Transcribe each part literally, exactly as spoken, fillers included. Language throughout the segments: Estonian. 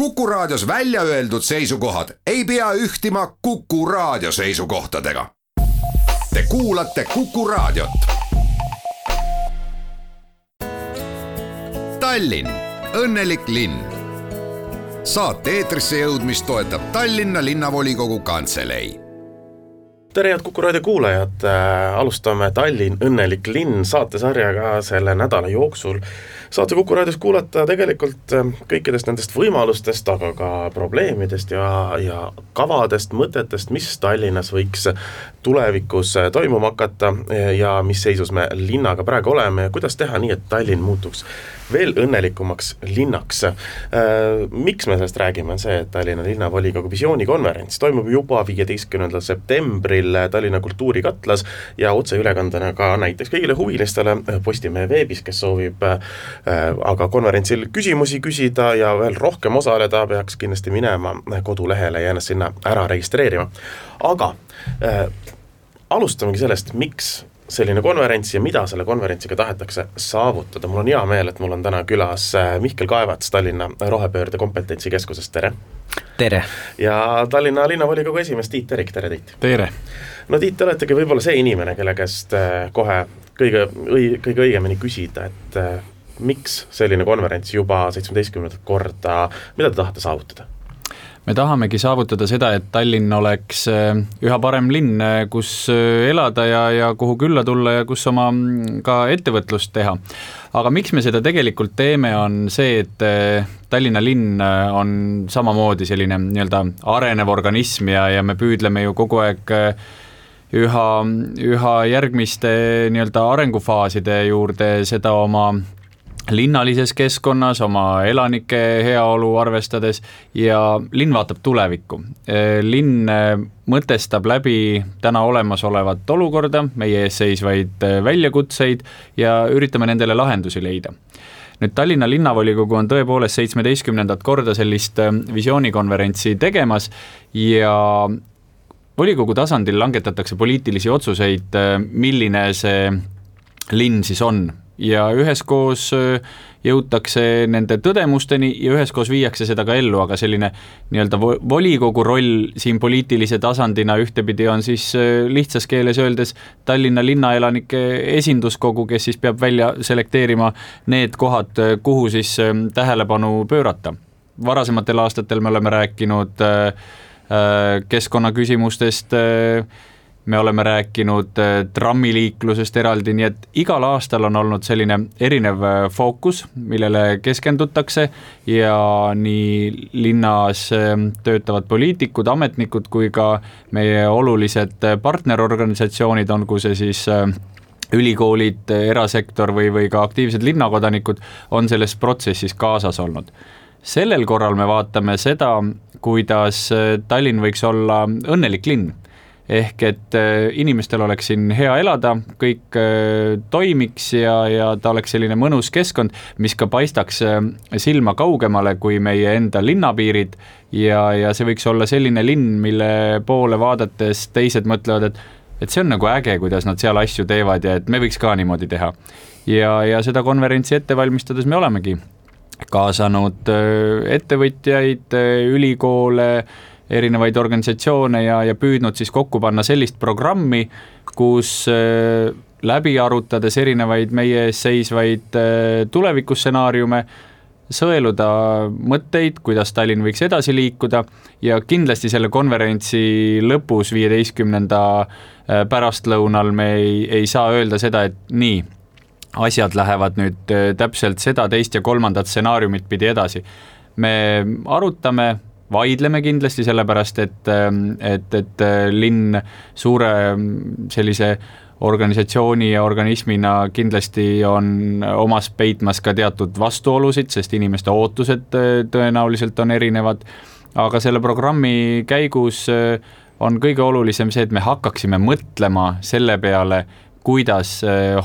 Kuku Raadios välja öeldud seisukohad ei pea ühtima Kuku Raadio seisukohtadega. Te kuulate Kuku Raadiot. Tallinn, õnnelik linn. Saate eetrisse jõudmist toetab Tallinna linnavolikogu kantselei. Tere head Kuku Raadio kuulajad, alustame Tallinn, õnnelik linn saatesarjaga selle nädala jooksul. Saate Kuku Raadios kuulata tegelikult kõikidest nendest võimalustest, aga ka probleemidest ja, ja kavadest, mõtetest, mis Tallinnas võiks tulevikus toimuma hakata ja mis seisus me linnaga praegu oleme ja kuidas teha nii, et Tallinn muutuks veel õnnelikumaks linnaks. Miks me sellest räägime, on see, et Tallinna linnavolikogu visioonikonverents toimub juba viieteistkümnendal septembril Tallinna kultuurikatlas ja otseülekandena ka näiteks kõigile huvilistele Postimehe veebis, kes soovib aga konverentsil küsimusi küsida ja veel rohkem osaleda, peaks kindlasti minema kodulehele ja ennast sinna ära registreerima. Aga äh, alustamegi sellest, miks selline konverents ja mida selle konverentsiga tahetakse saavutada. Mul on hea meel, et mul on täna külas Mihkel Kaevats Tallinna rohepöörde kompetentsikeskusest. Tere! Tere! Ja Tallinna linnavolikogu esimees Tiit Terik, tere Tiit! Tere! No Tiit, te oletegi võib-olla see inimene, kelle käest kohe kõige, kõige õigemini küsida, et miks selline konverents juba seitsmeteistkümnendat korda, mida te tahate saavutada? Me tahamegi saavutada seda, et Tallinn oleks üha parem linn, kus elada ja, ja kuhu külla tulla ja kus oma ka ettevõtlust teha. Aga miks me seda tegelikult teeme, on see, et Tallinna linn on samamoodi selline nii-öelda arenev organism ja, ja me püüdleme ju kogu aeg üha, üha järgmiste nii-öelda arengufaaside juurde seda oma linnalises keskkonnas, oma elanike heaolu arvestades ja linn vaatab tulevikku. Linn mõtestab läbi täna olemasolevat olukorda, meie ees seisvaid väljakutseid ja üritame nendele lahendusi leida. Nüüd Tallinna linnavolikogu on tõepoolest seitsmeteistkümnendat korda sellist visioonikonverentsi tegemas ja volikogu tasandil langetatakse poliitilisi otsuseid, milline see linn siis on. Ja üheskoos jõutakse nende tõdemusteni ja üheskoos viiakse seda ka ellu, aga selline nii-öelda volikogu roll siin poliitilise tasandina ühtepidi on siis lihtsas keeles öeldes Tallinna linnaelanike esinduskogu, kes siis peab välja selekteerima need kohad, kuhu siis tähelepanu pöörata. Varasematel aastatel me oleme rääkinud keskkonnaküsimustest, me oleme rääkinud trammiliiklusest eraldi, nii et igal aastal on olnud selline erinev fookus, millele keskendutakse ja nii linnas töötavad poliitikud, ametnikud kui ka meie olulised partnerorganisatsioonid, on kui see siis ülikoolid, erasektor või, või ka aktiivsed linnakodanikud on selles protsessis kaasas olnud. Sellel korral me vaatame seda, kuidas Tallinn võiks olla õnnelik linn. Ehk et inimestel oleks siin hea elada, kõik toimiks ja, ja ta oleks selline mõnus keskkond, mis ka paistaks silma kaugemale kui meie enda linnapiirid ja, ja see võiks olla selline linn, mille poole vaadates teised mõtlevad, et, et see on nagu äge, kuidas nad seal asju teevad ja et me võiks ka niimoodi teha. Ja, ja seda konverentsi ette valmistades me olemegi kaasanud ettevõtjaid, ülikoole, erinevaid organisatsioone ja, ja püüdnud siis kokku panna sellist programmi, kus äh, läbi arutades erinevaid meie ees seisvaid äh, tulevikussenaariume, sõeluda mõtteid, kuidas Tallinn võiks edasi liikuda ja kindlasti selle konverentsi lõpus viieteistkümnenda äh, pärastlõunal me ei, ei saa öelda seda, et nii, asjad lähevad nüüd äh, täpselt seda teist ja kolmandat stsenaariumit pidi edasi. Me arutame vaidleme kindlasti sellepärast, et, et, et linn suure sellise organisatsiooni ja organismina kindlasti on omas peitmas ka teatud vastuolusid, sest inimeste ootused tõenäoliselt on erinevad, aga selle programmi käigus on kõige olulisem see, et me hakkaksime mõtlema selle peale, kuidas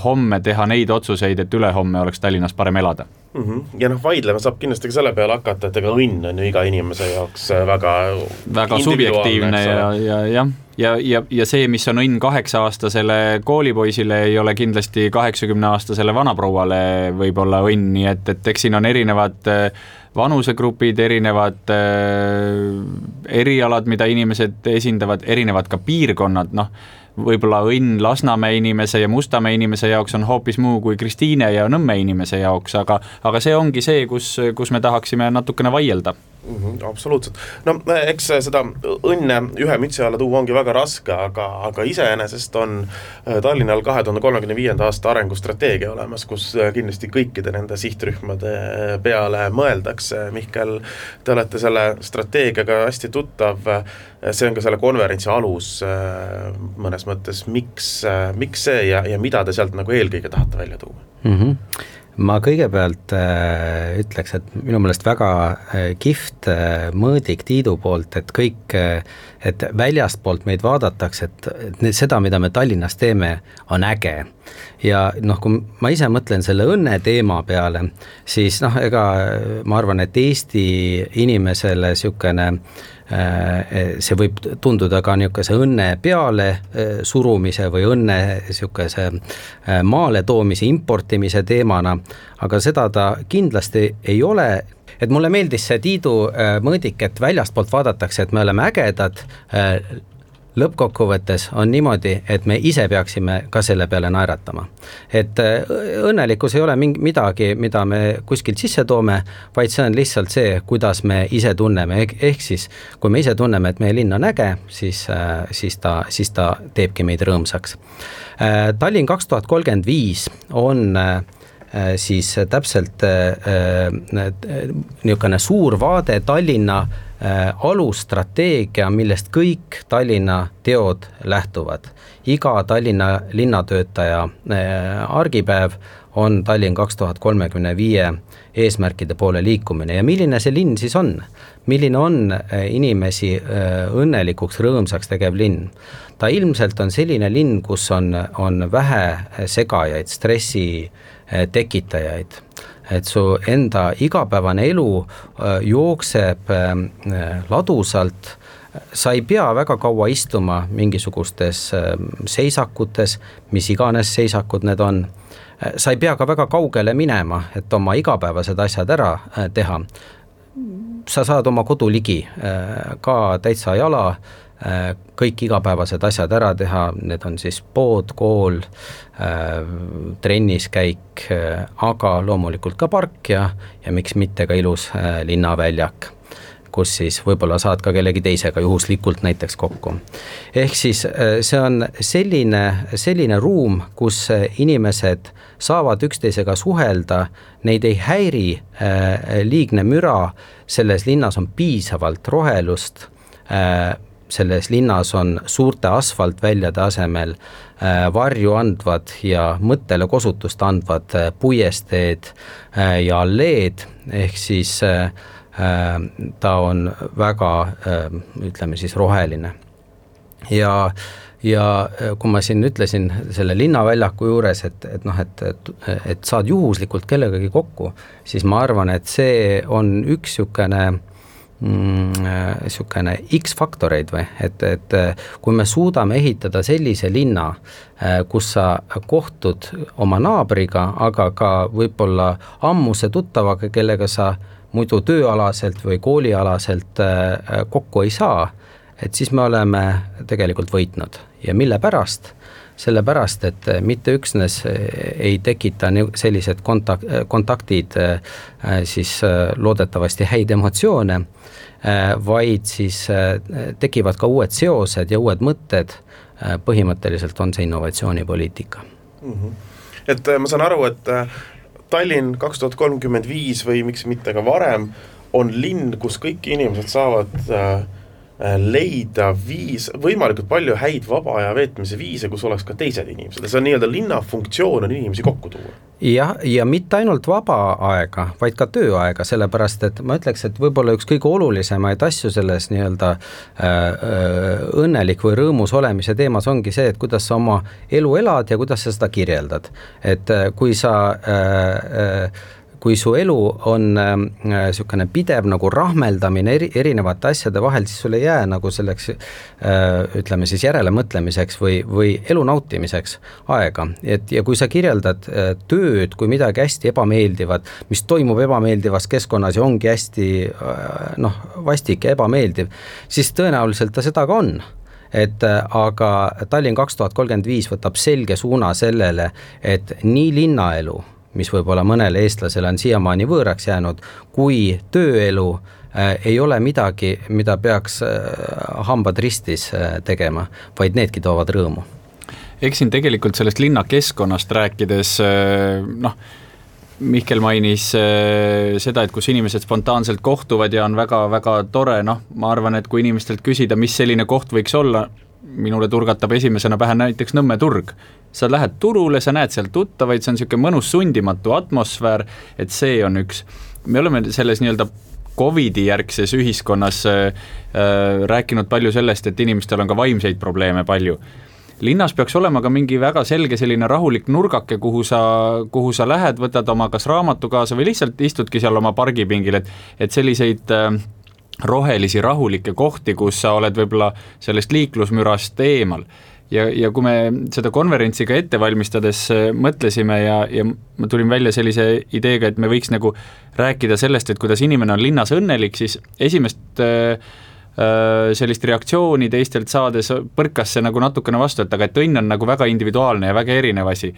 homme teha neid otsuseid, et ülehomme oleks Tallinnas parem elada. Mm-hmm. Ja noh, vaidlema saab kindlasti ka selle peale hakata, et ega õnn on ju iga inimese jaoks väga väga subjektiivne ja, ja, ja, ja, ja, ja see, mis on õnn kaheksa-aastasele koolipoisile, ei ole kindlasti kaheksakümne-aastasele vanaprouale võib-olla õnn, nii et, et eks siin on erinevad vanusegrupid, erinevad erialad, mida inimesed esindavad, erinevad ka piirkonnad, noh, võib-olla õnn Lasnamäe inimese ja Mustamäe inimese jaoks on hoopis muu kui Kristiine ja Nõmme inimese jaoks, aga, aga see ongi see, kus, kus me tahaksime natukene vaielda. Mm-hmm, absoluutselt. No eks seda õnne ühe mütsi alla tuua ongi väga raske, aga, aga iseenesest on Tallinnal kahe tuhande kolmekümne viienda aasta arengustrateegia olemas, kus kindlasti kõikide nende sihtrühmade peale mõeldakse. Mihkel, te olete selle strateegiaga hästi tuttav, see on ka selle konverentsi alus mõnes mõttes, miks, miks see ja, ja mida te sealt nagu eelkõige tahate välja tuua? Mm-hmm. Ma kõigepealt äh, ütleks, et minu meelest väga äh, kihvt äh, mõõdik Tiidu poolt, et kõik, äh, et väljastpoolt meid vaadatakse, et, et seda, mida me Tallinnas teeme, on äge. Ja noh, kui ma ise mõtlen selle õnne teema peale, siis noh, ega ma arvan, et Eesti inimesele sükene see võib tunduda ka niisuguse õnne peale surumise või õnne niisuguse maale toomise, importimise teemana, aga seda ta kindlasti ei ole. Et mulle meeldis see Tiidu mõõdik, et väljastpoolt vaadatakse, et me oleme ägedad, lõppkokkuvõttes on niimoodi, et me ise peaksime ka selle peale naeratama. Et õnnelikkus ei ole mingi midagi, mida me kuskilt sisse toome, vaid see on lihtsalt see, kuidas me ise tunneme. Ehk siis, kui me ise tunneme, et meie linn on äge, siis, siis, ta, siis ta teebki meid rõõmsaks. Tallinn kaks tuhat kolmkümmend viis on siis täpselt niisugune suur vaade Tallinna alusstrateegia, millest kõik Tallinna teod lähtuvad. Iga Tallinna linnatöötaja argipäev on Tallinn kaks tuhat kolmekümne viie eesmärkide poole liikumine. Ja milline see linn siis on? Milline on inimesi õnnelikuks, rõõmsaks tegev linn? Ta ilmselt on selline linn, kus on, on vähe segajaid, stressi tekitajaid. Et su enda igapäevane elu jookseb ladusalt, sa ei pea väga kaua istuma mingisugustes seisakutes, mis iganes seisakud need on. Sa ei pea ka väga kaugele minema, et oma igapäevased asjad ära teha. Sa saad oma kodu ligi ka täitsa jala, kõik igapäevased asjad ära teha, need on siis pood, kool, trenniskäik, aga loomulikult ka park ja, ja miks mitte ka ilus linnaväljak, kus siis võib-olla saad ka kellegi teisega juhuslikult näiteks kokku. Ehk siis see on selline, selline ruum, kus inimesed saavad üksteisega suhelda, neid ei häiri liigne müra, selles linnas on piisavalt rohelust, selles linnas on suurte asfaltväljade asemel varju andvad ja mõttele kosutust andvad puiesteed ja alleed, ehk siis ta on väga, ütleme siis, roheline. Ja, ja kui ma siin ütlesin selle linnaväljaku juures, et, et, noh, et, et, et saad juhuslikult kellegagi kokku, siis ma arvan, et see on üks niisugune niisugune X-faktoreid või, et, et kui me suudame ehitada sellise linna, kus sa kohtud oma naabriga, aga ka võib-olla ammuse tuttavaga, kellega sa muidu tööalaselt või koolialaselt kokku ei saa, et siis me oleme tegelikult võitnud. Ja mille pärast? Sellepärast, et mitte üksnes ei tekita sellised kontak- kontaktid siis loodetavasti häid emotsioone, vaid siis tekivad ka uued seosed ja uued mõtted, põhimõtteliselt on see innovatsioonipoliitika. Mm-hmm. Et ma saan aru, et Tallinn kaks tuhat kolmkümmend viis või miks mitte ka varem on linn, kus kõik inimesed saavad leida viis, võimalikult palju häid vaba aja veetmise viise, kus oleks ka teised inimesed. See on nii-öelda linna funktsioon on inimesi kokku tuua. Ja, ja mitte ainult vaba aega, vaid ka tööaega, sellepärast, et ma ütleks, et võib-olla üks kõige olulisemaid asju selles nii-öelda äh, õnnelik või rõõmus olemise teemas ongi see, et kuidas sa oma elu elad ja kuidas sa seda kirjeldad. Et kui sa äh, äh, kui su elu on niisugune pidev nagu rahmeldamine eri, erinevate asjade vahel, siis sul ei jää nagu selleks ütleme siis järelemõtlemiseks või, või elu nautimiseks aega. Et, ja kui sa kirjeldad tööd kui midagi hästi ebameeldivat, mis toimub ebameeldivas keskkonnas ja ongi hästi noh, vastik ja ebameeldiv, siis tõenäoliselt ta seda ka on. Et aga Tallinn kaks tuhat kolmkümmend viis võtab selge suuna sellele, et nii linnaelu, mis võib-olla mõnele eestlasele on siiamaani võõraks jäänud, kui tööelu ei ole midagi, mida peaks hambad ristis tegema, vaid needki toovad rõõmu. Eks siin tegelikult sellest linnakeskkonnast rääkides, noh, Mihkel mainis seda, et kus inimesed spontaanselt kohtuvad ja on väga, väga tore, noh, ma arvan, et kui inimestelt küsida, mis selline koht võiks olla, minule turgatab esimesena pähe näiteks Nõmme turg. Sa lähed turule, sa näed seal tuttavaid, see on niisugune mõnus sundimatu atmosfäär, et see on üks. Me oleme selles nii-öelda Covidi järgses ühiskonnas äh, rääkinud palju sellest, et inimestel on ka vaimseid probleeme palju. Linnas peaks olema ka mingi väga selge selline rahulik nurgake, kuhu sa, kuhu sa lähed, võtad oma kas raamatu kaasa või lihtsalt istudki seal oma pargipingil, et, et selliseid äh, rohelisi rahulikke kohti, kus sa oled võib-olla sellest liiklusmürast eemal. Ja, ja kui me seda konverentsiga ette valmistades mõtlesime ja, ja ma tulin välja sellise ideega, et me võiks nagu rääkida sellest, et kuidas inimene on linnas õnnelik, siis esimest äh, sellist reaktsiooni teistelt saades põrkas see nagu natukene vastu, et aga et õnn on nagu väga individuaalne ja väga erinev asi.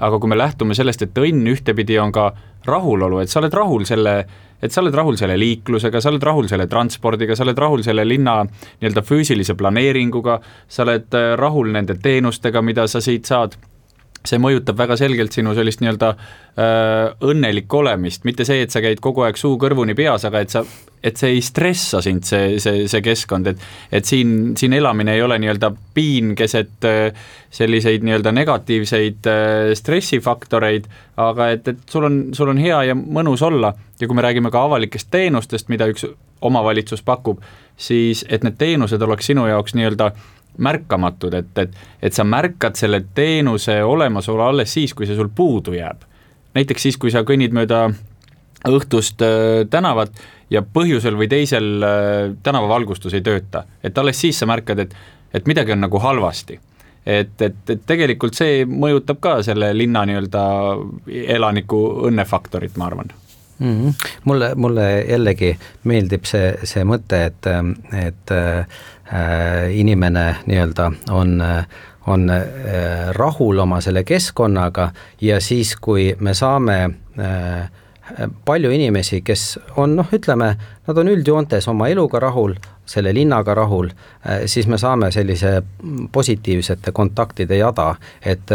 Aga kui me lähtume sellest, et õnn ühtepidi on ka rahulolu, et sa oled rahul selle, et sa oled rahul selle liiklusega, sa oled rahul selle transpordiga, sa oled rahul selle linna nii-öelda füüsilise planeeringuga, sa oled rahul nende teenustega, mida sa siit saad. See mõjutab väga selgelt sinu sellist nii-öelda äh, õnnelik olemist, mitte see, et sa käid kogu aeg suu kõrvuni peas, aga et, sa, et see ei stressa sind, see, see, see keskkond, et, et siin, siin elamine ei ole nii-öelda piin keset äh, selliseid nii-öelda negatiivseid äh, stressifaktoreid, aga et, et sul on, sul on hea ja mõnus olla ja kui me räägime ka avalikest teenustest, mida üks omavalitsus pakub, siis et need teenused oleks sinu jaoks nii-öelda märkamatud, et, et, et sa märkad selle teenuse olemasolu alles siis, kui see sul puudu jääb. Näiteks siis, kui sa kõnnid mööda õhtust äh, tänavat ja põhjusel või teisel äh, tänavavalgustus ei tööta. Et alles siis sa märkad, et, et midagi on nagu halvasti. Et, et, et tegelikult see mõjutab ka selle linna nii-öelda elaniku õnnefaktorit, ma arvan. Mm-hmm. Mulle, mulle jällegi meeldib see, see mõte, et, et äh, inimene nii-öelda on, on äh, rahul oma selle keskkonnaga ja siis, kui me saame äh, palju inimesi, kes on, noh, ütleme, nad on üldjoontes oma eluga rahul, selle linnaga rahul, siis me saame sellise positiivsete kontaktide jada, et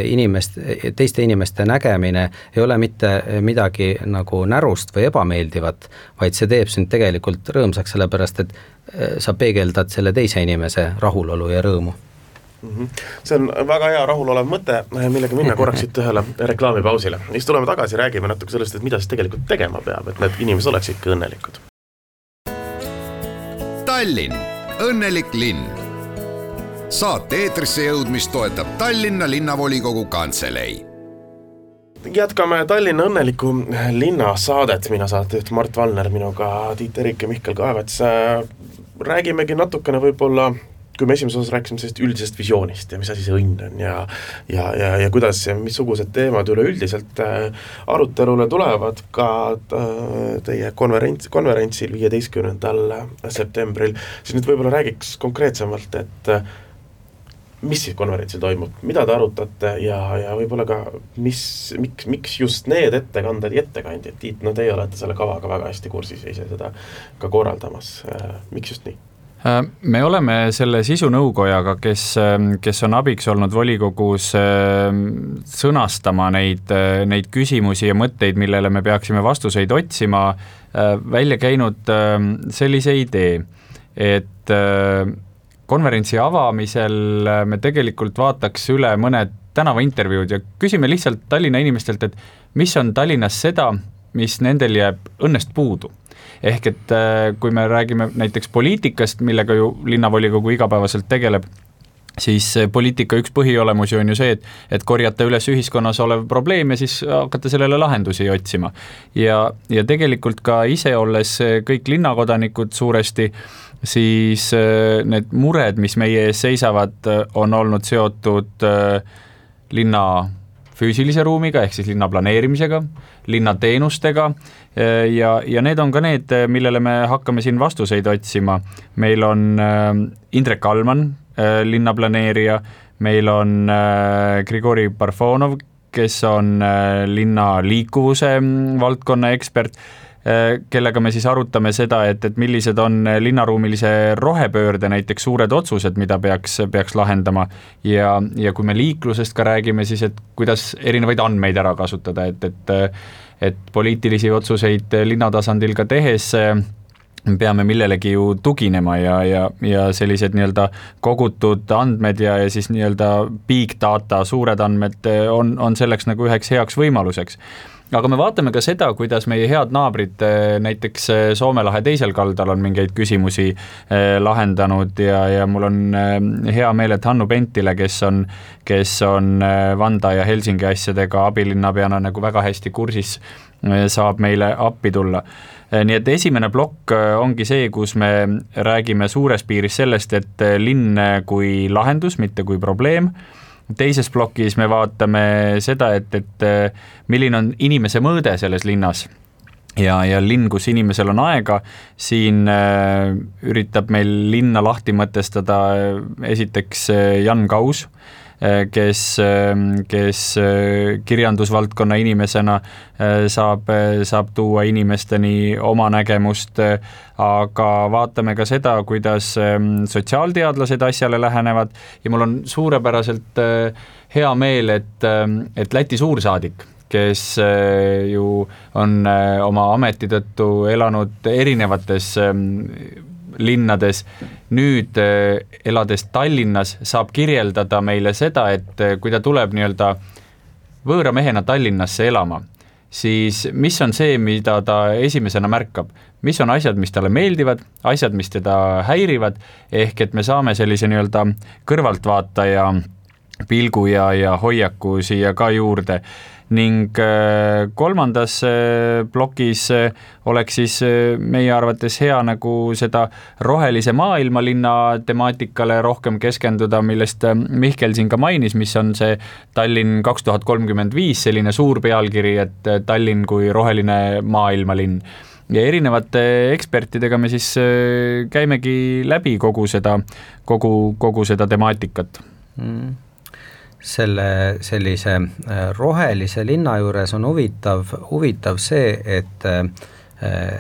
inimest, teiste inimeste nägemine ei ole mitte midagi nagu närust või ebameeldivat, vaid see teeb sind tegelikult rõõmsaks, sellepärast et sa peegeldad selle teise inimese rahulolu ja rõõmu. See on väga hea rahulolev mõte, millega minna korraks siit ühele reklaamipausile. Siis tuleme tagasi, räägime natuke sellest, et mida siis tegelikult tegema peab, et need inimesed oleks ikka õnnelikud. Tallinn, õnnelik linn. Saate eetrisse jõudmist toetab Tallinna linnavolikogu kantselei. Jätkame Tallinna õnneliku linna saadet. Mina saatejuht Mart Valner, minuga Tiit Erik ja Mihkel Kaevets. Räägimegi natukene võib-olla, kui me esimeses osas rääkisime sellest üldisest visioonist ja mis asi see õnn on ja, ja, ja, ja kuidas ja missugused teemad üleüldiselt arutelule tulevad ka teie konverents, konverentsil viieteistkümnendal septembril, siis nüüd võib-olla räägiks konkreetsemalt, et mis siis konverentsil toimub, mida te arutate ja, ja võib-olla ka mis, miks, miks just need ettekanded ja ettekandjad. Tiit, no teie olete selle kavaga väga hästi kursis ja ise seda ka korraldamas. Miks just nii? Me oleme selle sisunõukojaga, kes, kes on abiks olnud volikogus sõnastama neid, neid küsimusi ja mõtteid, millele me peaksime vastuseid otsima, välja käinud sellise idee, et konverentsi avamisel me tegelikult vaataks üle mõned tänavaintervjuud ja küsime lihtsalt Tallinna inimestelt, et mis on Tallinnas seda, mis nendel jääb õnnest puudu. Ehk et kui me räägime näiteks poliitikast, millega ju linnavolikogu igapäevaselt tegeleb, siis poliitika üks põhiolemusi on ju see, et, et korjata üles ühiskonnas olev probleem ja siis hakata sellele lahendusi otsima. Ja, ja tegelikult ka ise olles kõik linnakodanikud suuresti, siis need mured, mis meie ees seisavad, on olnud seotud linna füüsilise ruumiga, ehk siis linna planeerimisega, linna teenustega ja, ja need on ka need, millele me hakkame siin vastuseid otsima. Meil on Indrek Alman, linnaplaneerija, meil on Grigori Parfonov, kes on linna liikuvuse valdkonna ekspert, kellega me siis arutame seda, et, et millised on linnaruumilise rohepöörde näiteks suured otsused, mida peaks, peaks lahendama ja, ja kui me liiklusest ka räägime, siis et kuidas erinevaid andmeid ära kasutada, et, et, et poliitilisi otsuseid linnatasandil ka tehes peame millelegi ju tuginema ja, ja, ja sellised nii-öelda kogutud andmed ja, ja siis nii-öelda big data, suured andmed on, on selleks nagu üheks heaks võimaluseks. Aga me vaatame ka seda, kuidas meie head naabrid näiteks Soome lahe teisel kaldal on mingeid küsimusi lahendanud ja, ja mul on hea meel, et Hannu Pentile, kes on, kes on Vanda ja Helsingi asjadega abilinnapeana nagu väga hästi kursis, saab meile appi tulla. Nii et esimene plokk ongi see, kus me räägime suures piiris sellest, et linn kui lahendus, mitte kui probleem. Teises plokis me vaatame seda, et, et milline on inimese mõõde selles linnas ja, ja linn, kus inimesel on aega, siin üritab meil linna lahti mõtestada esiteks Jan Kaus, kes, kes kirjandusvaldkonna inimesena saab, saab tuua inimesteni oma nägemust, aga vaatame ka seda, kuidas sotsiaalteadlased asjale lähenevad ja mul on suurepäraselt hea meel, et, et Läti suursaadik, kes ju on oma ameti tõttu elanud erinevates linnades, nüüd elades Tallinnas saab kirjeldada meile seda, et kui ta tuleb nii-öelda võõra mehena Tallinnasse elama, siis mis on see, mida ta esimesena märkab, mis on asjad, mis talle meeldivad, asjad, mis teda häirivad, ehk et me saame sellise nii-öelda kõrvaltvaataja pilgu ja, ja hoiaku siia ka juurde. Ning kolmandas plokis oleks siis meie arvates hea nagu seda rohelise maailmalinna temaatikale rohkem keskenduda, millest Mihkel siin ka mainis, mis on see Tallinn kaks tuhat kolmkümmend viis, selline suur pealkiri, et Tallinn kui roheline maailmalinn. Ja erinevate ekspertidega me siis käimegi läbi kogu seda, kogu, kogu seda temaatikat. Mm. Selle sellise rohelise linna juures on huvitav, huvitav see, et äh,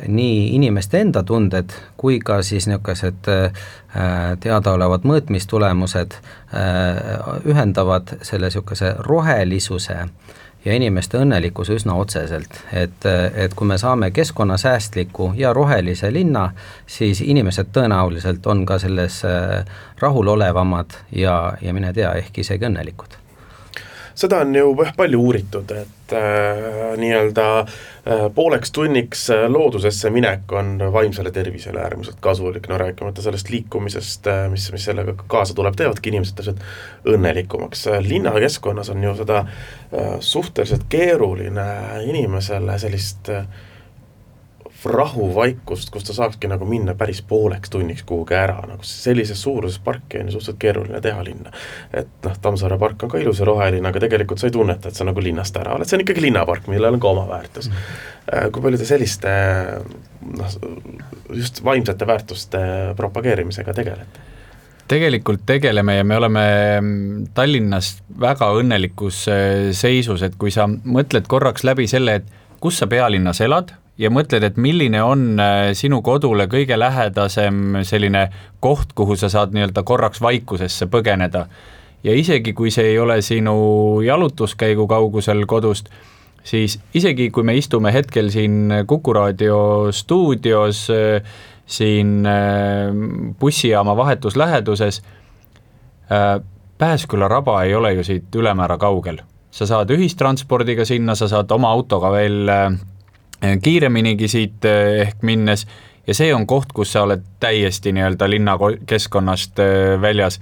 nii inimeste enda tunded kui ka siis niisugused äh, teadaolevad mõõtmistulemused äh, ühendavad selle niisuguse rohelisuse ja inimeste õnnelikkuse üsna otseselt, et, et kui me saame keskkonnasäästliku ja rohelise linna, siis inimesed tõenäoliselt on ka selles rahulolevamad ja, ja mine tea, ehk isegi õnnelikud. Seda on ju palju uuritud, et äh, nii-öelda äh, pooleks tunniks loodusesse minek on vaimsele tervisele äärmiselt kasulik, no rääkimata sellest liikumisest, mis, mis sellega kaasa tuleb, teevadki inimesed täpselt õnnelikumaks. Linnakeskkonnas on ju seda äh, suhteliselt keeruline inimesele sellist äh, rahuvaikust, kus ta saakski nagu minna päris pooleks tunniks kuhugi ära, nagu sellises suuruses parki on ju suhteliselt keeruline teha linna. Et noh, Tammsaare park on ka ilus ja roheline, aga tegelikult sa ei tunneta, et sa nagu linnast ära oled, see on ikkagi linnapark, millel on ka oma väärtus. Mm. Kui palju te selliste noh, just vaimsete väärtuste propageerimisega tegelete? Tegelikult tegeleme ja me oleme Tallinnas väga õnnelikus seisus, et kui sa mõtled korraks läbi selle, et kus sa pealinnas elad, ja mõtled, et milline on sinu kodule kõige lähedasem selline koht, kuhu sa saad nii-öelda korraks vaikusesse põgeneda. Ja isegi kui see ei ole sinu jalutuskäigu kaugusel kodust, siis isegi kui me istume hetkel siin Kuku Raadio stuudios, siin bussijaama vahetus läheduses, Pääsküla raba ei ole ju siit ülemäära kaugel. Sa saad ühistranspordiga sinna, sa saad oma autoga veel kiireminigi siit ehk minnes ja see on koht, kus sa oled täiesti nii-öelda linna keskkonnast väljas.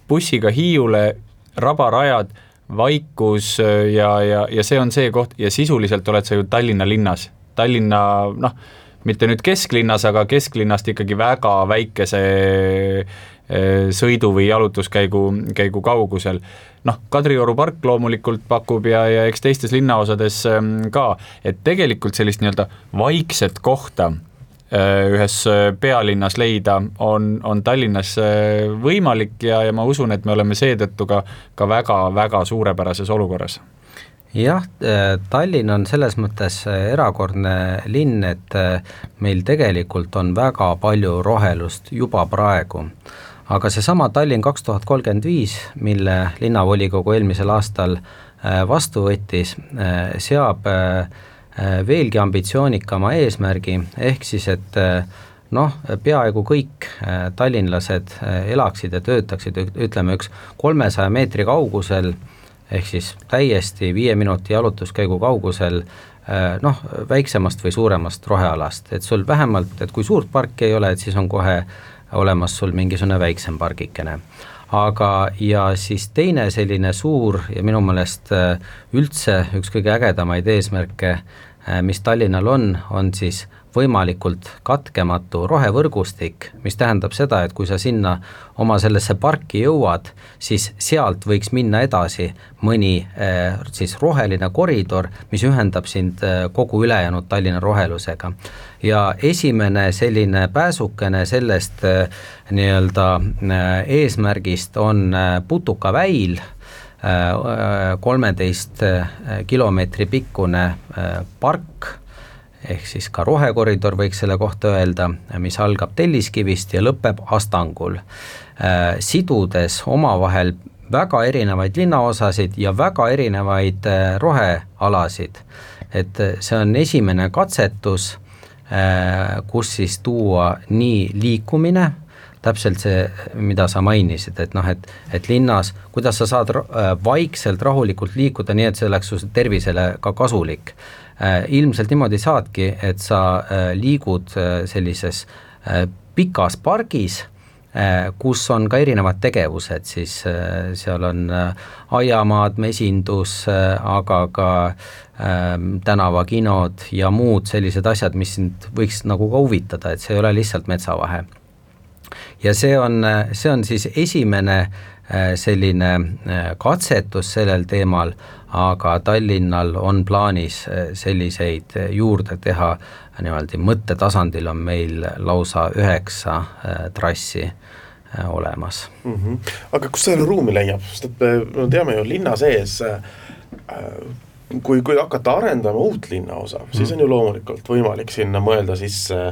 bussiga Hiiule, rabarajad, vaikus ja, ja, ja see on see koht ja sisuliselt oled sa ju Tallinna linnas. Tallinna, noh, mitte nüüd kesklinnas, aga kesklinnast ikkagi väga väikese sõidu või jalutuskäigu käigu kaugusel. Noh, Kadrioru park loomulikult pakub ja, ja eks teistes linnaosades ka, et tegelikult sellist nii-öelda vaikset kohta ühes pealinnas leida on, on Tallinnas võimalik ja, ja ma usun, et me oleme seetõttu ka, ka väga, väga suurepärases olukorras. Jah, Tallinn on selles mõttes erakordne linn, et meil tegelikult on väga palju rohelust juba praegu. Aga see sama Tallinn kaks tuhat kolmkümmend viis, mille linnavolikogu eelmisel aastal vastu võttis, seab veelgi ambitsioonikama eesmärgi, ehk siis, et noh, peaaegu kõik tallinlased elaksid ja töötaksid, ütleme üks kolmesaja meetri kaugusel, ehk siis täiesti viie minuti jalutuskäigu kaugusel, noh, väiksemast või suuremast rohealast, et sul vähemalt, et kui suurt parki ei ole, et siis on kohe olemas sul mingisugune väiksem pargikene. Aga ja siis teine selline suur ja minu meelest üldse üks kõige ägedamaid eesmärke, mis Tallinnal on, on siis võimalikult katkematu rohevõrgustik, mis tähendab seda, et kui sa sinna oma sellesse parki jõuad, siis sealt võiks minna edasi mõni siis roheline koridor, mis ühendab sind kogu ülejäänud Tallinna rohelusega. Ja esimene selline pääsukene sellest nii-öelda eesmärgist on Putukaväil, kolmeteist kilomeetri pikkune park, ehk siis ka rohekoridor võiks selle kohta öelda, mis algab Telliskivist ja lõpeb Astangul, sidudes omavahel väga erinevaid linnaosasid ja väga erinevaid rohealasid. Et see on esimene katsetus, kus siis tuua nii liikumine, täpselt see, mida sa mainisid, et noh, et, et linnas, kuidas sa saad vaikselt rahulikult liikuda nii, et see oleks su tervisele ka kasulik. Ilmselt niimoodi saadki, et sa liigud sellises pikas pargis, kus on ka erinevad tegevused, siis seal on aiamaad, mesindus, aga ka tänavakinod ja muud sellised asjad, mis sind võiks nagu ka huvitada, et see ei ole lihtsalt metsavahe. Ja see on, see on siis esimene selline katsetus sellel teemal, aga Tallinnal on plaanis selliseid juurde teha, niimoodi mõttetasandil on meil lausa üheksa trassi olemas. Mm-hmm. Aga kus selle ruumi leiab? Sest et me teame ju linna sees, kui, kui hakata arendama uut linna osa, mm. siis on ju loomulikult võimalik sinna mõelda sisse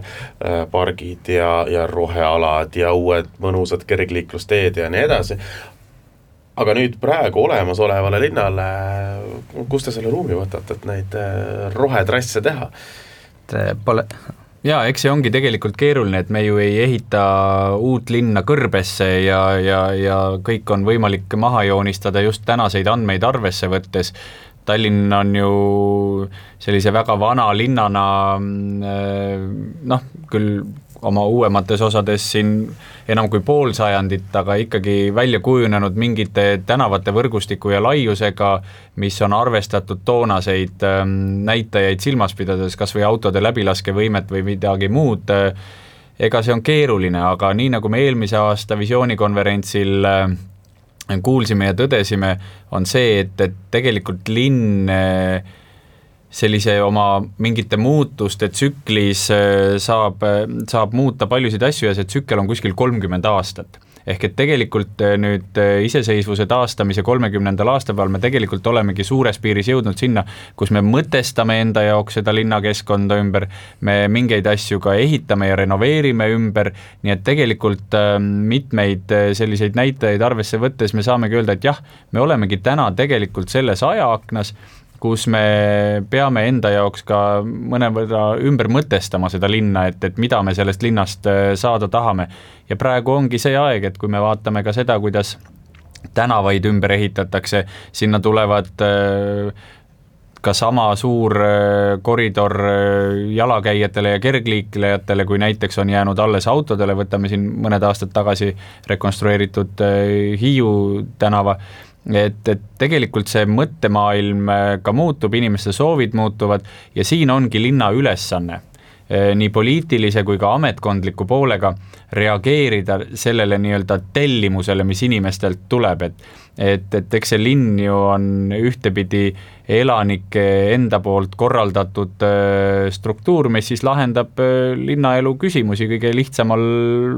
pargid ja, ja rohealad ja uued mõnusad kergliiklusteed ja nii edasi. Aga nüüd praegu olemas olevale linnale, kus te selle ruumi võtate, et neid rohetrasse teha? Pole... Jaa, eks see ongi tegelikult keeruline, et me ju ei ehita uut linna kõrbesse ja, ja, ja kõik on võimalik maha joonistada just tänaseid andmeid arvesse võttes. Tallinn on ju sellise väga vana linnana, noh, küll oma uuemates osades siin enam kui pool sajandit, aga ikkagi välja kujunenud mingite tänavate võrgustiku ja laiusega, mis on arvestatud toonaseid näitajaid silmas pidades, kas või autode läbilaskevõimet või midagi muud. Ega see on keeruline, aga nii nagu me eelmise aasta visioonikonverentsil kuulsime ja tõdesime, on see, et, et tegelikult linn sellise oma mingite muutuste tsüklis saab, saab muuta paljusid asju ja see tsükkel on kuskil kolmkümmend aastat. Ehk et tegelikult nüüd iseseisvuse taastamise kolmekümnendal aastapäeval me tegelikult olemegi suures piiris jõudnud sinna, kus me mõtestame enda jaoks seda linnakeskkonda ümber, me mingeid asju ka ehitame ja renoveerime ümber, nii et tegelikult mitmeid selliseid näitajaid arvesse võttes me saamegi öelda, et jah, me olemegi täna tegelikult selles ajaaknas, kus me peame enda jaoks ka mõnevõrra ümber mõtestama seda linna, et, et mida me sellest linnast saada tahame. Ja praegu ongi see aeg, et kui me vaatame ka seda, kuidas tänavaid ümber ehitatakse, sinna tulevad ka sama suur koridor jalakäijatele ja kergliiklejatele, kui näiteks on jäänud alles autodele, võtame siin mõned aastad tagasi rekonstrueeritud Hiiu tänava, et, et tegelikult see mõttemaailm ka muutub, inimeste soovid muutuvad ja siin ongi linna ülesanne nii poliitilise kui ka ametkondliku poolega reageerida sellele nii-öelda tellimusele, mis inimestelt tuleb, et, et, et eks see linn ju on ühtepidi elanike enda poolt korraldatud struktuur, mis siis lahendab linnaelu küsimusi kõige lihtsamal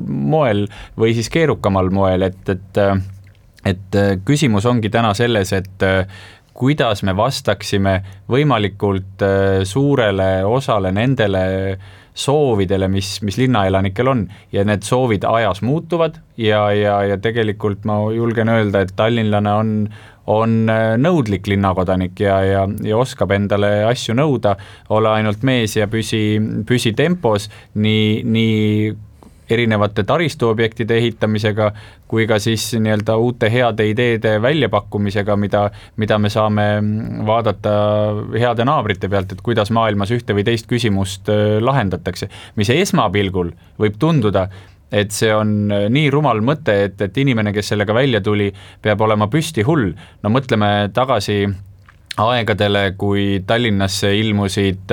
moel või siis keerukamal moel, et, et, et küsimus ongi täna selles, et kuidas me vastaksime võimalikult suurele osale nendele soovidele, mis, mis linnaelanikel on ja need soovid ajas muutuvad ja, ja, ja tegelikult ma julgen öelda, et tallinlane on, on nõudlik linnakodanik ja, ja, ja oskab endale asju nõuda, ole ainult mees ja püsi, püsi tempos nii, nii erinevate taristuobjektide ehitamisega, kui ka siis nii-öelda uute heade ideede väljapakkumisega, mida, mida me saame vaadata heade naabrite pealt, et kuidas maailmas ühte või teist küsimust lahendatakse. Mis esmapilgul võib tunduda, et see on nii rumal mõte, et, et inimene, kes sellega välja tuli, peab olema püsti hull. No mõtleme tagasi aegadele, kui Tallinnasse ilmusid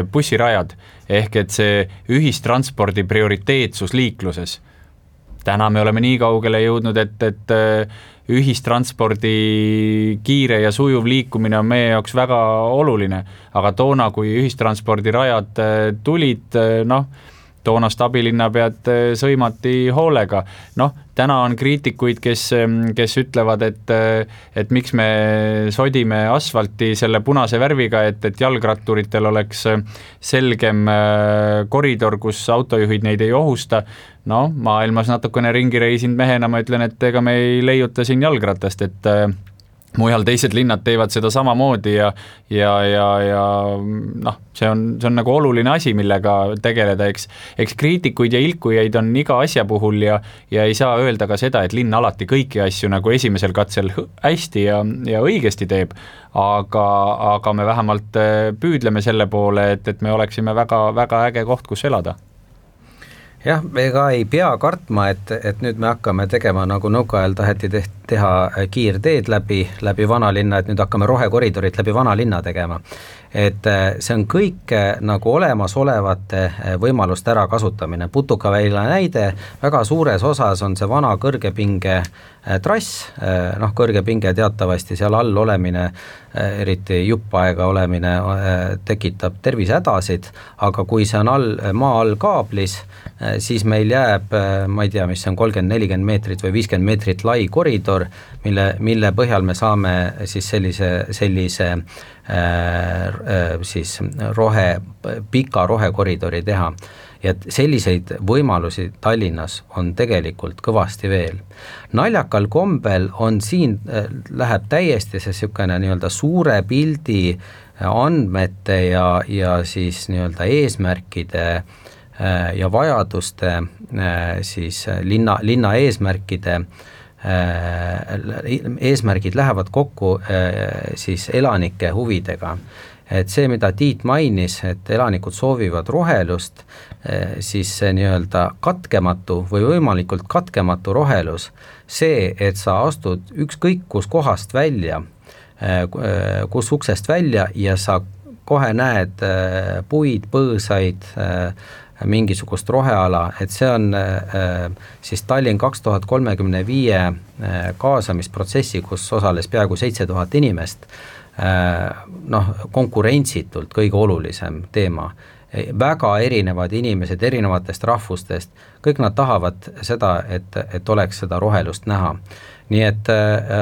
bussirajad, ehk et see ühistranspordi prioriteetsus liikluses. Täna me oleme nii kaugele jõudnud, et, et ühistranspordi kiire ja sujuv liikumine on meie jaoks väga oluline, aga toona, kui ühistranspordirajad tulid, noh, toonast abilinnapead sõimati hoolega. Noh, täna on kriitikuid, kes, kes ütlevad, et, et miks me sodime asfalti selle punase värviga, et, et jalgratturitel oleks selgem koridor, kus autojuhid neid ei ohusta. No, maailmas natukene ringi reisinud mehena ma ütlen, et ega me ei leiuta siin jalgratast, et mujal teised linnad teevad seda samamoodi ja, ja, ja, ja noh, see on, see on nagu oluline asi, millega tegeleda, eks, eks kriitikuid ja ilkujaid on iga asja puhul ja, ja ei saa öelda ka seda, et linn alati kõiki asju nagu esimesel katsel hästi ja, ja õigesti teeb, aga, aga me vähemalt püüdleme selle poole, et, et me oleksime väga, väga äge koht, kus elada. Jah, me ka ei pea kartma, et, et nüüd me hakkame tegema, nagu nõukaajal taheti teha kiirteed läbi, läbi vanalinna, et nüüd hakkame rohekoridorit läbi vanalinna tegema. Et see on kõik nagu olemasolevate võimaluste ära kasutamine. Putukaväila näide, väga suures osas on see vana kõrgepinge trass, noh kõrgepinge teatavasti seal all olemine, eriti juppaega olemine tekitab tervisehädasid, aga kui see on all, maa all kaablis, siis meil jääb, ma ei tea, mis see on kolmkümmend nelikümmend meetrit või viiskümmend meetrit lai koridor, mille, mille põhjal me saame siis sellise, sellise äh, siis rohe, pika rohekoridori teha. Ja selliseid võimalusi Tallinnas on tegelikult kõvasti veel. Naljakal kombel on siin, läheb täiesti see sükene nii-öelda suure pildi andmete ja, ja siis nii-öelda eesmärkide ja vajaduste siis linna, linna eesmärkide eesmärgid lähevad kokku siis elanike huvidega. Et see, mida Tiit mainis, et elanikud soovivad rohelust, siis see nii-öelda katkematu või võimalikult katkematu rohelus, see, et sa astud ükskõik kus kohast välja, kus uksest välja ja sa kohe näed puid, põõsaid, mingisugust roheala, et see on siis Tallinn kaks tuhat kolmekümne viie kaasamisprotsessi, kus osales peaaegu seitse tuhat inimest, noh, konkurentsitult kõige olulisem teema. Väga erinevad inimesed erinevatest rahvustest, kõik nad tahavad seda, et, et oleks seda rohelust näha. Nii et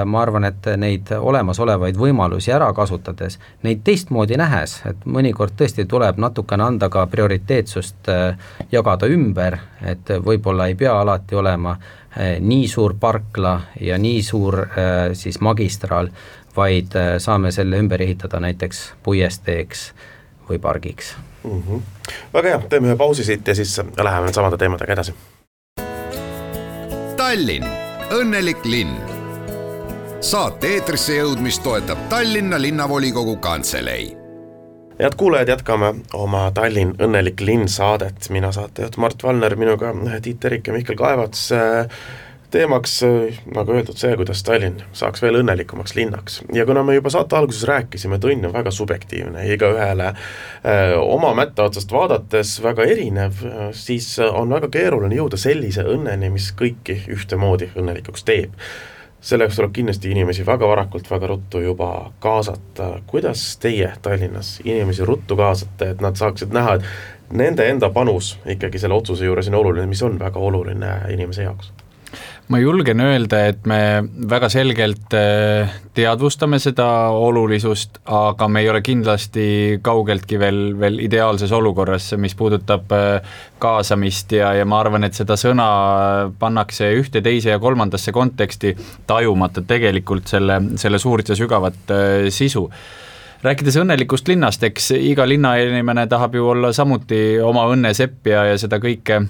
ma arvan, et neid olemasolevaid võimalusi ära kasutades, neid teistmoodi nähes, et mõnikord tõesti tuleb natukene anda ka prioriteetsust jagada ümber, et võib-olla ei pea alati olema nii suur parkla ja nii suur siis magistraal, vaid saame selle ümber ehitada näiteks puiesteeks või pargiks. Mm-hmm. Väga hea, teeme ühe pausi siit ja siis läheme samade teemadega edasi. Tallinn, õnnelik linn. saate eetrisse jõudmist toetab Tallinna linnavolikogu kantselei. Head kuulajad, jätkame oma Tallinn õnnelik linn saadet. Mina saatejuht Mart Valner, minuga Tiit Terik ja Mihkel Kaevats. Teemaks, nagu öeldud, see, kuidas Tallinn saaks veel õnnelikumaks linnaks. Ja kuna me juba saate alguses rääkisime, et õnn on väga subjektiivne, iga ühele öö, oma mätta otsast vaadates väga erinev, siis on väga keeruline jõuda sellise õnneni, mis kõiki ühtemoodi õnnelikuks teeb. Selleks tuleb kindlasti inimesi väga varakult, väga ruttu juba kaasata. Kuidas teie Tallinnas inimesi ruttu kaasate, et nad saaksid näha, et nende enda panus ikkagi selle otsuse juures on oluline, mis on väga oluline inimese jaoks? Ma julgen öelda, et me väga selgelt teadvustame seda olulisust, aga me ei ole kindlasti kaugeltki veel, veel ideaalses olukorras, mis puudutab kaasamist ja, ja ma arvan, et seda sõna pannakse ühte, teise ja kolmandasse konteksti tajumata tegelikult selle, selle suurt ja sügavat sisu. Rääkides õnnelikust linnast, eks iga linnainimene tahab ju olla samuti oma õnne sepp ja, ja seda kõike,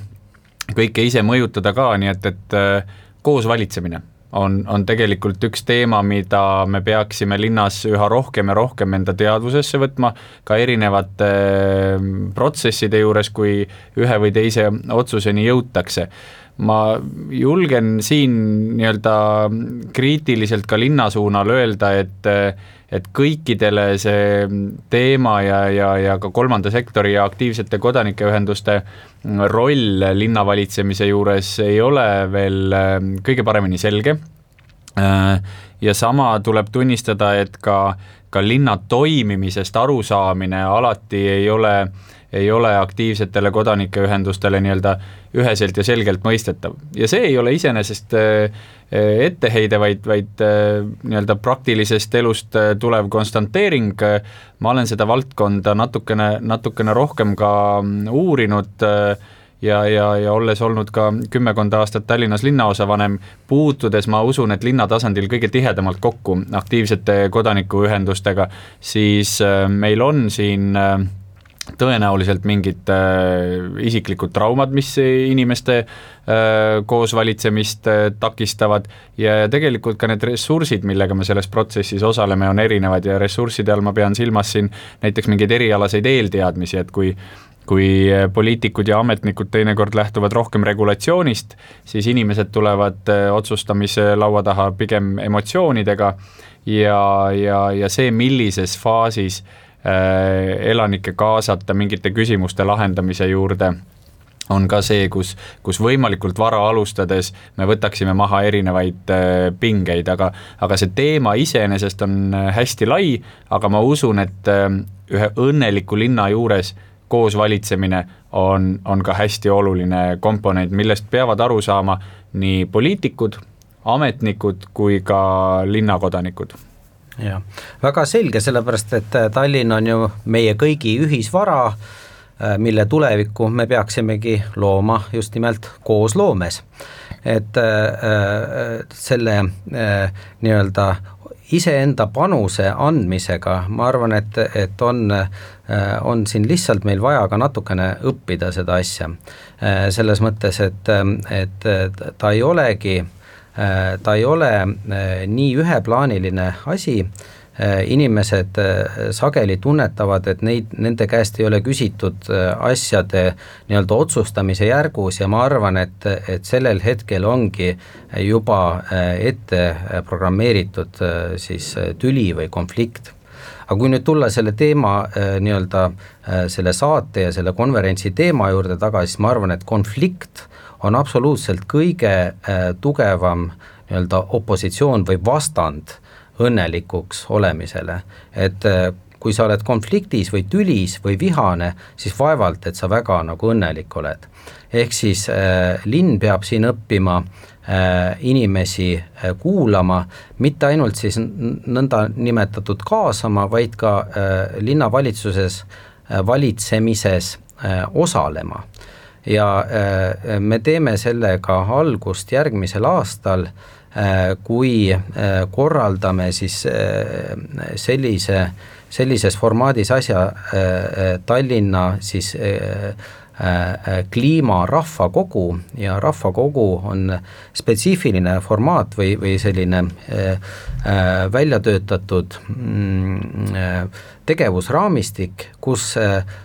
kõike ise mõjutada ka, nii et, et koos valitsemine on, on tegelikult üks teema, mida me peaksime linnas üha rohkem ja rohkem enda teadvusesse võtma, ka erinevate protsesside juures, kui ühe või teise otsuseni jõutakse. Ma julgen siin nii-öelda kriitiliselt ka linna suunal öelda, et et kõikidele see teema ja, ja, ja ka kolmanda sektori ja aktiivsete kodanikeühenduste roll linnavalitsemise juures ei ole veel kõige paremini selge. Ja sama tuleb tunnistada, et ka, ka linna toimimisest arusaamine alati ei ole, ei ole aktiivsetele kodanikeühendustele nii-öelda üheselt ja selgelt mõistetav. Ja see ei ole iseenesest etteheide, vaid, vaid nii-öelda praktilisest elust tulev konstanteering. Ma olen seda valdkonda natukene, natukene rohkem ka uurinud ja, ja, ja olles olnud ka kümmekonda aastat Tallinnas linnaosavanem, puutudes ma usun, et linna tasandil kõige tihedamalt kokku aktiivsete kodanikuühendustega, siis meil on siin tõenäoliselt mingid äh, isiklikud traumad, mis inimeste äh, koos valitsemist äh, takistavad ja tegelikult ka need ressursid, millega me selles protsessis osaleme, on erinevad ja ressursside all ma pean silmas siin näiteks mingeid erialaseid eelteadmisi, et kui kui poliitikud ja ametnikud teinekord lähtuvad rohkem regulatsioonist, siis inimesed tulevad otsustamise laua taha pigem emotsioonidega ja, ja, ja see, millises faasis elanike kaasata mingite küsimuste lahendamise juurde on ka see, kus, kus võimalikult vara alustades me võtaksime maha erinevaid pingeid, aga, aga see teema iseenesest on hästi lai, aga ma usun, et ühe õnneliku linna juures koos valitsemine on, on ka hästi oluline komponent, millest peavad aru saama nii poliitikud, ametnikud kui ka linnakodanikud. Ja, väga selge, sellepärast, et Tallinn on ju meie kõigi ühisvara, mille tulevikku me peaksimegi looma just nimelt koos loomes. Et selle nii-öelda iseenda panuse andmisega, ma arvan, et, et on, on siin lihtsalt meil vaja ka natukene õppida seda asja. Selles mõttes, et, et ta ei olegi ta ei ole nii üheplaaniline asi, inimesed sageli tunnetavad, et neid, nende käest ei ole küsitud asjade nii-öelda otsustamise järgus ja ma arvan, et, et sellel hetkel ongi juba ette programmeeritud siis tüli või konflikt. Aga kui nüüd tulla selle teema nii-öelda selle saate ja selle konverentsi teema juurde tagasi, siis ma arvan, et konflikt on absoluutselt kõige tugevam nii-öelda opositsioon või vastand õnnelikuks olemisele. Et kui sa oled konfliktis või tülis või vihane, siis vaevalt, et sa väga nagu õnnelik oled. Ehk siis äh, linn peab siin õppima äh, inimesi äh, kuulama, mitte ainult siis nõnda nimetatud kaasama, vaid ka äh, linnavalitsuses äh, valitsemises äh, osalema. Ja äh, me teeme sellega algust järgmisel aastal, äh, kui äh, korraldame siis äh, sellise, sellises formaadis asja äh, Tallinna siis äh, kliima rahvakogu ja rahvakogu on spetsiifiline formaat või, või selline välja töötatud tegevusraamistik, kus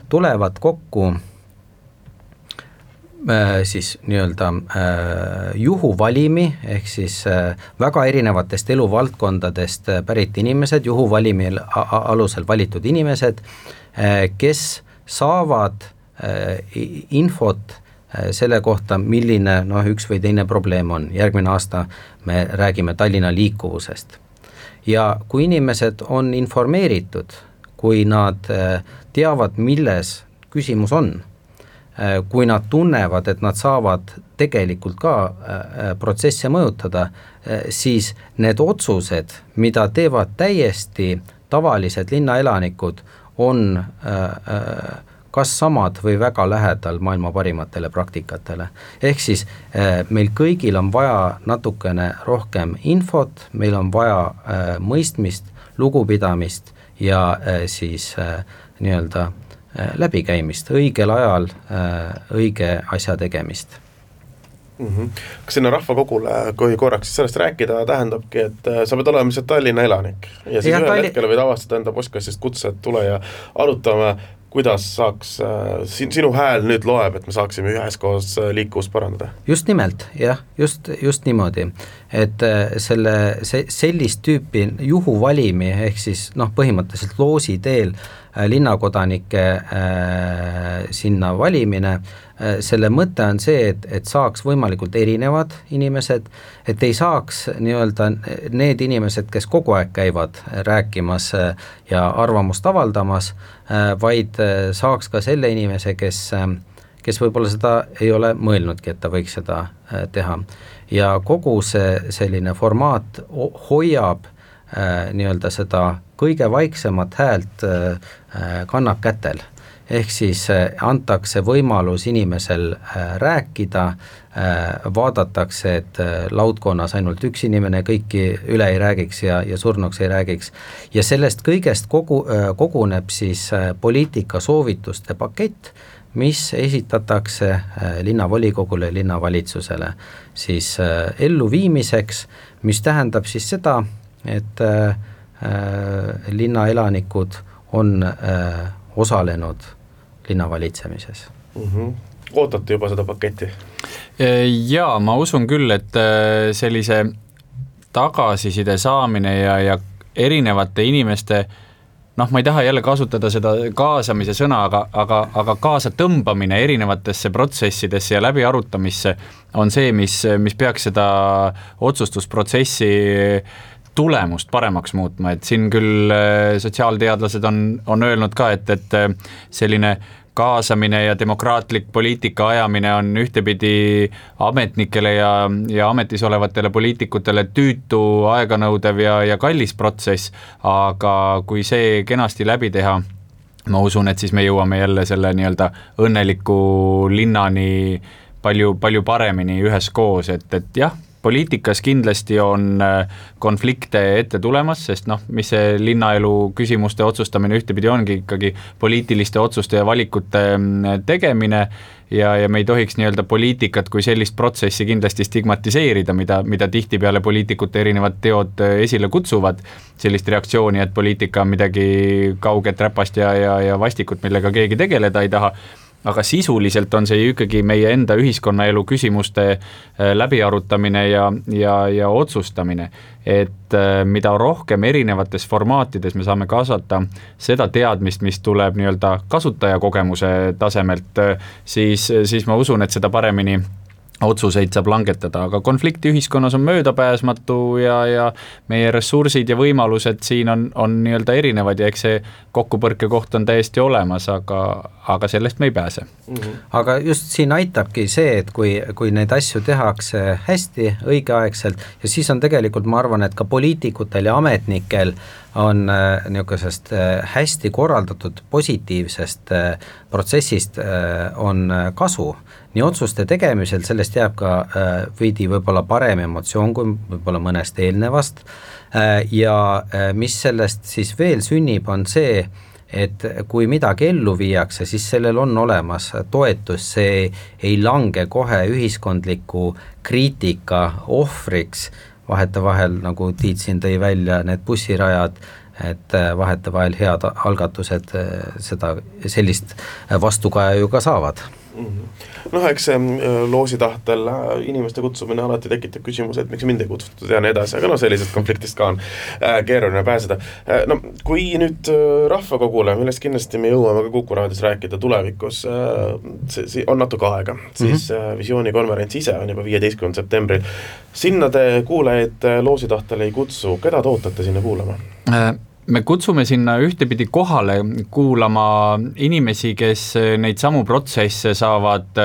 tulevad kokku siis nii-öelda juhuvalimi ehk siis väga erinevatest eluvaldkondadest pärit inimesed, juhuvalimi alusel valitud inimesed, kes saavad infot selle kohta, milline noh, üks või teine probleem on. Järgmine aasta me räägime Tallinna liikuvusest. Ja kui inimesed on informeeritud, kui nad teavad, milles küsimus on, kui nad tunnevad, et nad saavad tegelikult ka protsesse mõjutada, siis need otsused, mida teevad täiesti tavalised linnaelanikud, on kas samad või väga lähedal maailma parimatele praktikatele. Ehk siis meil kõigil on vaja natukene rohkem infot, meil on vaja mõistmist, lugupidamist ja siis nii-öelda läbikäimist, õigel ajal õige asja tegemist. Mm-hmm. Kas sinna rahvakogule, kui korraks sellest rääkida, tähendabki, et sa pead olema lihtsalt Tallinna elanik ja siis ja ühel Talli... hetkel võid avastada enda postkastist kutse, et tule ja arutame, kuidas saaks, sinu hääl nüüd loeb, et me saaksime üheskoos liikuvust parandada? Just nimelt, jah, just, just niimoodi, et selle, see, sellist tüüpi juhuvalimi ehk siis noh, põhimõtteliselt loosi teel linnakodanike äh, sinna valimine, äh, selle mõte on see, et, et saaks võimalikult erinevad inimesed, et ei saaks nii-öelda need inimesed, kes kogu aeg käivad rääkimas äh, ja arvamust avaldamas, äh, vaid äh, saaks ka selle inimese, kes, äh, kes võib-olla seda ei ole mõelnudki, et ta võiks seda äh, teha. Ja kogu see selline formaat hoiab äh, nii-öelda seda kõige vaiksemat häält äh, kannab kätel. Ehk siis äh, antakse võimalus inimesel äh, rääkida, äh, vaadatakse, et äh, laudkonnas ainult üks inimene kõiki üle ei räägiks ja, ja surnuks ei räägiks. Ja sellest kõigest kogu, äh, koguneb siis äh, poliitika soovituste pakett, mis esitatakse äh, linnavolikogule, linnavalitsusele siis äh, elluviimiseks, mis tähendab siis seda, et äh, linnaelanikud on äh, osalenud linnavalitsemises. Mm-hmm. Ootate juba seda paketti? Jaa, ma usun küll, et sellise tagasiside saamine ja, ja erinevate inimeste, noh, ma ei taha jälle kasutada seda kaasamise sõna, aga, aga, aga kaasa tõmbamine erinevatesse protsessidesse ja läbi arutamisse on see, mis, mis peaks seda otsustusprotsessi tulemust paremaks muutma, et siin küll sotsiaalteadlased on, on öelnud ka, et, et selline kaasamine ja demokraatlik poliitika ajamine on ühtepidi ametnikele ja, ja ametis olevatele poliitikutele tüütu, aeganõudev ja, ja kallis protsess, aga kui see kenasti läbi teha, ma usun, et siis me jõuame jälle selle nii-öelda õnneliku linnani palju, palju paremini üheskoos, et, et jah, poliitikas kindlasti on konflikte ette tulemas, sest noh, mis see linnaelu küsimuste otsustamine ühtepidi ongi ikkagi poliitiliste otsuste ja valikute tegemine ja, ja me ei tohiks nii-öelda poliitikat kui sellist protsessi kindlasti stigmatiseerida, mida, mida tihtipeale poliitikute erinevad teod esile kutsuvad, sellist reaktsiooni, et poliitika on midagi kauget räpast ja, ja, ja vastikut, millega keegi tegeleda ei taha, aga sisuliselt on see ikkagi meie enda ühiskonnaelu küsimuste läbiarutamine ja, ja, ja otsustamine, et mida rohkem erinevates formaatides me saame kaasata seda teadmist, mis tuleb nii-öelda kasutajakogemuse tasemelt, siis, siis ma usun, et seda paremini otsuseid saab langetada, aga konflikti ühiskonnas on möödapääsmatu ja, ja meie ressursid ja võimalused siin on, on nii-öelda erinevad ja eks see kokkupõrke koht on täiesti olemas, aga, aga sellest me ei pääse. Mm-hmm. Aga just siin aitabki see, et kui, kui neid asju tehakse hästi, õigeaegselt ja siis on tegelikult, ma arvan, et ka poliitikutel ja ametnikel on äh, niisugusest äh, hästi korraldatud positiivsest äh, protsessist äh, on kasu. Nii otsuste tegemisel sellest jääb ka äh, veidi võib-olla parem emotsioon kui võib-olla mõnest eelnevast äh, ja äh, mis sellest siis veel sünnib, on see, et kui midagi ellu viiakse, siis sellel on olemas toetus, see ei lange kohe ühiskondliku kriitika ohvriks, vahetevahel, nagu Tiit siin tõi välja, need bussirajad, et vahetevahel head algatused seda, sellist vastukaja ju ka saavad. Noh, eks see loosi tahtel inimeste kutsumine alati tekitab küsimus, et miks mind ei kutsutud ja nii edasi, aga no sellisest konfliktist ka on keeruline pääseda. No, kui nüüd rahvakogule, millest kindlasti me jõuame ka Kuku raadios rääkida tulevikus, see on natuke aega, siis mm-hmm. visioonikonverents ise on juba viieteistkümnendal septembril. Sinna te kuulajaid loosi tahtel ei kutsu, keda te ootate sinna kuulama? Me kutsume sinna ühtepidi kohale kuulama inimesi, kes neid samu protsesse saavad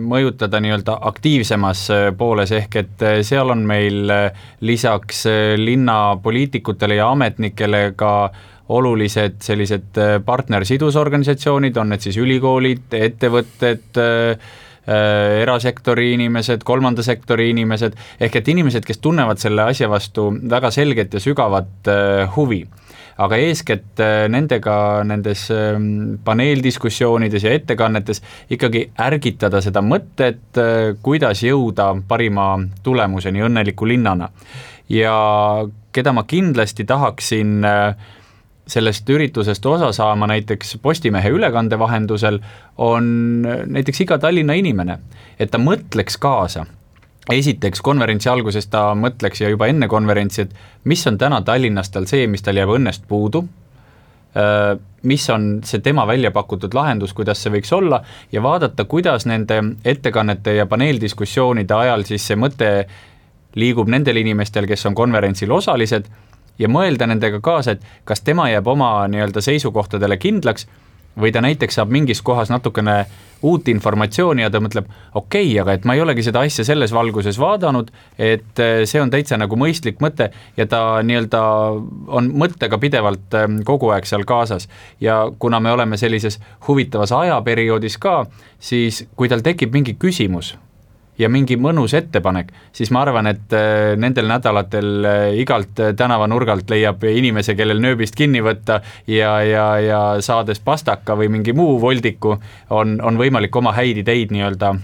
mõjutada nii-öelda aktiivsemas pooles, ehk et seal on meil lisaks linnapoliitikutele ja ametnikele ka olulised sellised partnersidusorganisatsioonid, on need siis ülikoolid, ettevõtted, erasektori inimesed, kolmanda sektori inimesed, ehk et inimesed, kes tunnevad selle asja vastu väga selget ja sügavat huvi. Aga eeskätt nendega nendes paneeldiskussioonides ja ettekannetes ikkagi ärgitada seda mõtet, kuidas jõuda parima tulemuseni õnneliku linnana. Ja keda ma kindlasti tahaksin sellest üritusest osa saama näiteks Postimehe ülekande vahendusel, on näiteks iga Tallinna inimene, et ta mõtleks kaasa. Esiteks konverentsi alguses ta mõtleks ja juba enne konverentsi, et mis on täna Tallinnas tal see, mis tal jääb õnnest puudu, mis on see tema välja pakutud lahendus, kuidas see võiks olla, ja vaadata, kuidas nende ettekannete ja paneeldiskussioonide ajal siis see mõte liigub nendel inimestel, kes on konverentsil osalised, ja mõelda nendega kaasa, et kas tema jääb oma nii-öelda seisukohtadele kindlaks või ta näiteks saab mingis kohas natukene uut informatsiooni ja ta mõtleb, okei, okay, aga et ma ei olegi seda asja selles valguses vaadanud, et see on täitsa nagu mõistlik mõte ja ta nii-öelda on mõttega pidevalt kogu aeg seal kaasas. Ja kuna me oleme sellises huvitavas ajaperioodis ka, siis kui tal tekib mingi küsimus ja mingi mõnus ettepanek, siis ma arvan, et nendel nädalatel igalt tänavanurgalt leiab inimese, kellel nööbist kinni võtta ja, ja, ja saades pastaka või mingi muu voldiku, on, on võimalik oma häid ideid nii-öelda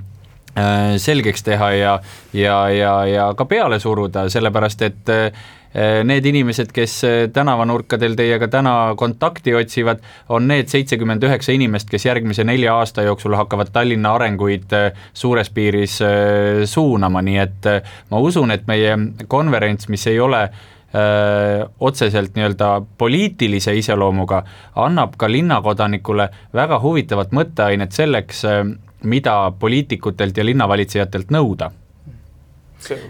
selgeks teha ja, ja, ja, ja ka peale suruda, sellepärast et need inimesed, kes tänavanurkadel teiega täna kontakti otsivad, on need seitsekümmend üheksa inimest, kes järgmise nelja aasta jooksul hakkavad Tallinna arenguid suures piiris suunama, nii et ma usun, et meie konverents, mis ei ole öö, otseselt nii-öelda poliitilise iseloomuga, annab ka linnakodanikule väga huvitavat mõtteainet selleks, mida poliitikutelt ja linnavalitsejatelt nõuda. See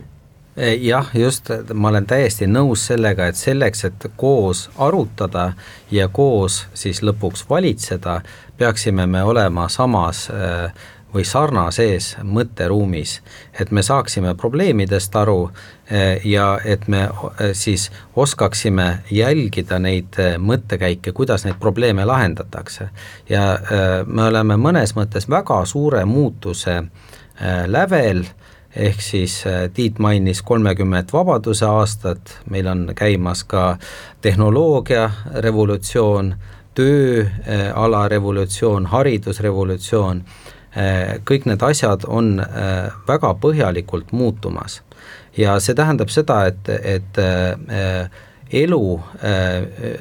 jah, just, ma olen täiesti nõus sellega, et selleks, et koos arutada ja koos siis lõpuks valitseda, peaksime me olema samas või sarnases mõtteruumis, et me saaksime probleemidest aru ja et me siis oskaksime jälgida neid mõttekäike, kuidas neid probleeme lahendatakse. Ja me oleme mõnes mõttes väga suure muutuse lävel, ehk siis Tiit mainis kolmekümmet vabaduse aastat, meil on käimas ka tehnoloogia revolutsioon, tööala revolutsioon, haridusrevolutsioon, kõik need asjad on väga põhjalikult muutumas. Ja see tähendab seda, et, et elu,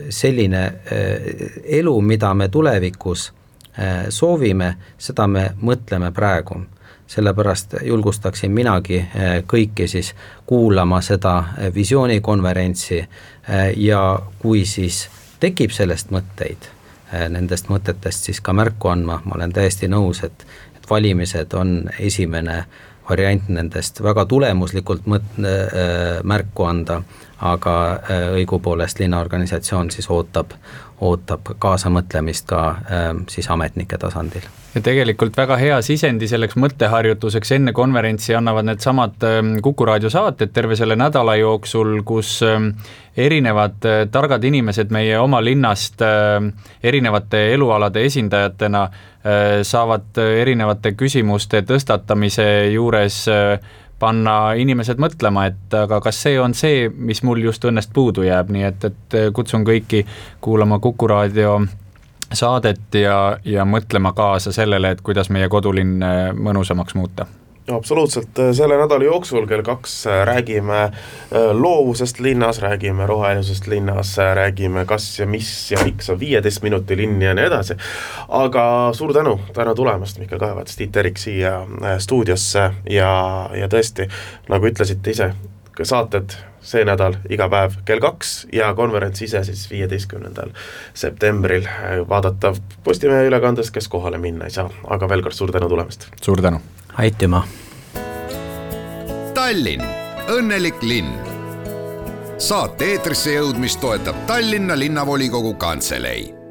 selline elu, mida me tulevikus soovime, seda me mõtleme praegu. Sellepärast julgustaksin minagi kõiki siis kuulama seda visioonikonverentsi ja kui siis tekib sellest mõtteid, nendest mõtetest siis ka märku andma, ma olen täiesti nõus, et, et valimised on esimene variant nendest väga tulemuslikult mõt-, märku anda, aga õigupoolest linnaorganisatsioon siis ootab, ootab kaasamõtlemist ka siis ametnike tasandil. Ja tegelikult väga hea sisendi selleks mõtteharjutuseks enne konverentsi annavad need samad Kuku raadio saated terve selle nädala jooksul, kus erinevad targad inimesed meie oma linnast erinevate elualade esindajatena saavad erinevate küsimuste tõstatamise juures panna inimesed mõtlema, et aga kas see on see, mis mul just õnnest puudu jääb, nii et, et kutsun kõiki kuulama Kuku raadio saadet ja, ja mõtlema kaasa sellele, et kuidas meie kodulinn mõnusamaks muuta. Absoluutselt, selle nädala jooksul kell kaks räägime loovusest linnas, räägime rohelisest linnas, räägime kas ja mis ja miks on viieteist minuti linn ja nii edasi. Aga suur tänu täna tulemast, Mihkel Kahevats, Tiit Terik siia stuudiosse ja, ja tõesti, nagu ütlesite ise, saated see nädal iga päev kell kaks ja konverents ise siis viieteistkümnendal septembril vaadatav Postimehe ülekandes, kes kohale minna ei saa. Aga veel kord suur tänu tulemast. Suur tänu. Aitüma. Tallinn, õnnelik linn. Saate eetrisse jõudmist toetab Tallinna linnavolikogu kantselei.